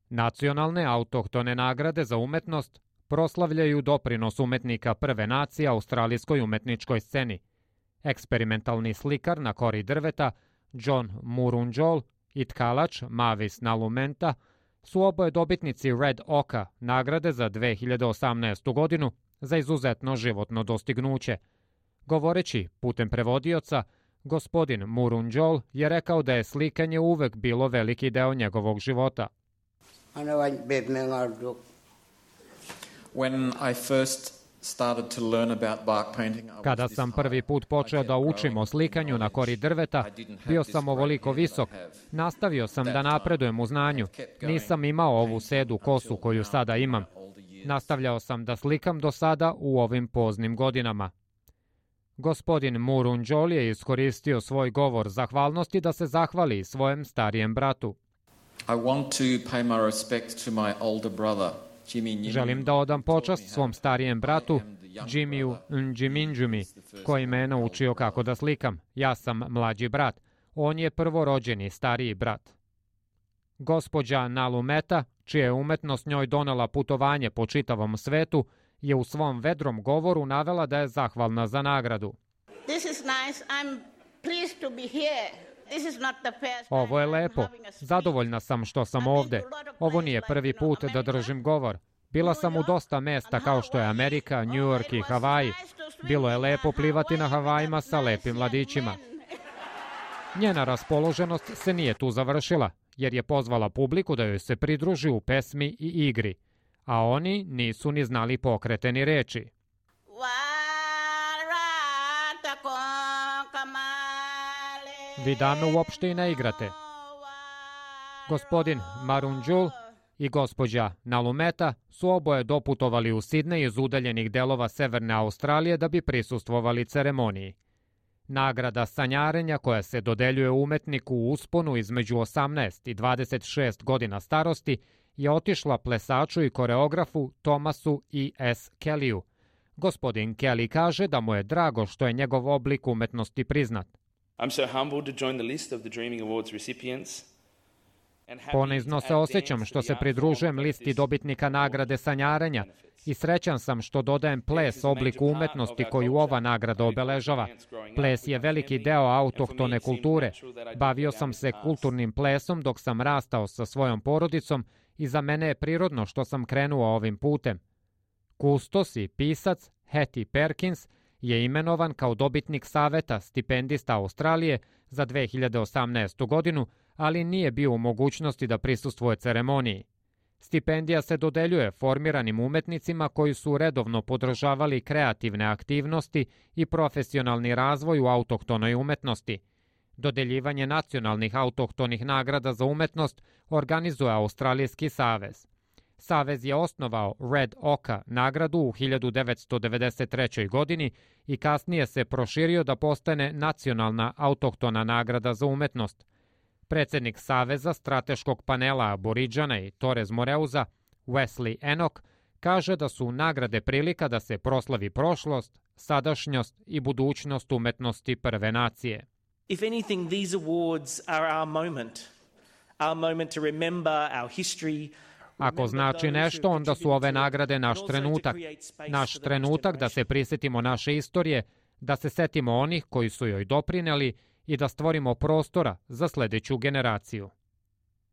Nacionalne autohtone nagrade za umetnost proslavljaju doprinos umetnika prve nacije australijskoj umetničkoj sceni. Eksperimentalni slikar na kori drveta John Murunjol i tkalač Mavis Nalumenta su oboje dobitnici Red Oka nagrade za 2018. godinu za izuzetno životno dostignuće. Govoreći putem prevodioca, gospodin Murunjol je rekao da je slikanje uvek bilo veliki deo njegovog života. Kada sam prvi put počeo da učim o slikanju na kori drveta, bio sam ovoliko visok. Nastavio sam da napredujem u znanju. Nisam imao ovu sedu kosu koju sada imam. Nastavljao sam da slikam do sada u ovim poznim godinama. Gospodin Murunjol je iskoristio svoj govor zahvalnosti da se zahvali svojem starijem bratu. Želim da odam počast svom starijem bratu, Jimmyu Njiminjumi, koji me je naučio kako da slikam. Ja sam mlađi brat. On je prvorođeni stariji brat. Gospođa Nalumeta, čija je umetnost njoj donela putovanje po čitavom svetu, je u svom vedrom govoru navela da je zahvalna za nagradu. Ovo je lepo. Zadovoljna sam što sam ovde. Ovo nije prvi put da držim govor. Bila sam u dosta mesta kao što je Amerika, New York i Havaji. Bilo je lepo plivati na Havajima sa lepim mladićima. Njena raspoloženost se nije tu završila, jer je pozvala publiku da joj se pridruži u pesmi i igri, a oni nisu ni znali pokrete ni reči. Vi dame uopšte i ne igrate. Gospodin Murunjol i gospođa Nalumeta su oboje doputovali u Sidnej iz udaljenih delova Severne Australije da bi prisustvovali ceremoniji. Nagrada sanjarenja koja se dodeljuje umetniku u usponu između 18 i 26 godina starosti je otišla plesaču i koreografu Thomasu E. S. Kellyu. Gospodin Kelly kaže da mu je drago što je njegov oblik umetnosti priznat. Ponizno se osjećam što se pridružujem listi dobitnika nagrade sanjarenja i srećan sam što dodajem ples obliku umetnosti koju ova nagrada obeležava. Ples je veliki deo autohtone kulture. Bavio sam se kulturnim plesom dok sam rastao sa svojom porodicom i za mene je prirodno što sam krenuo ovim putem. Kustos i pisac Hattie Perkins je imenovan kao dobitnik saveta stipendista Australije za 2018. godinu, ali nije bio u mogućnosti da prisustvuje ceremoniji. Stipendija se dodeljuje formiranim umetnicima koji su redovno podržavali kreativne aktivnosti i profesionalni razvoj u autohtonoj umetnosti. Dodeljivanje nacionalnih autohtonih nagrada za umetnost organizuje Australijski savez. Savez je osnovao Red Oka nagradu u 1993. godini i kasnije se proširio da postane nacionalna autohtona nagrada za umetnost. Predsednik Saveza strateškog panela Aboriđana i Torres Moreuza, Wesley Enoch, kaže da su nagrade prilika da se proslavi prošlost, sadašnjost i budućnost umetnosti prve nacije. If anything, these awards are our moment to remember our history. Ako znači nešto, onda su ove nagrade naš trenutak da se prisjetimo naše istorije, da se setimo onih koji su joj doprineli i da stvorimo prostora za sledeću generaciju.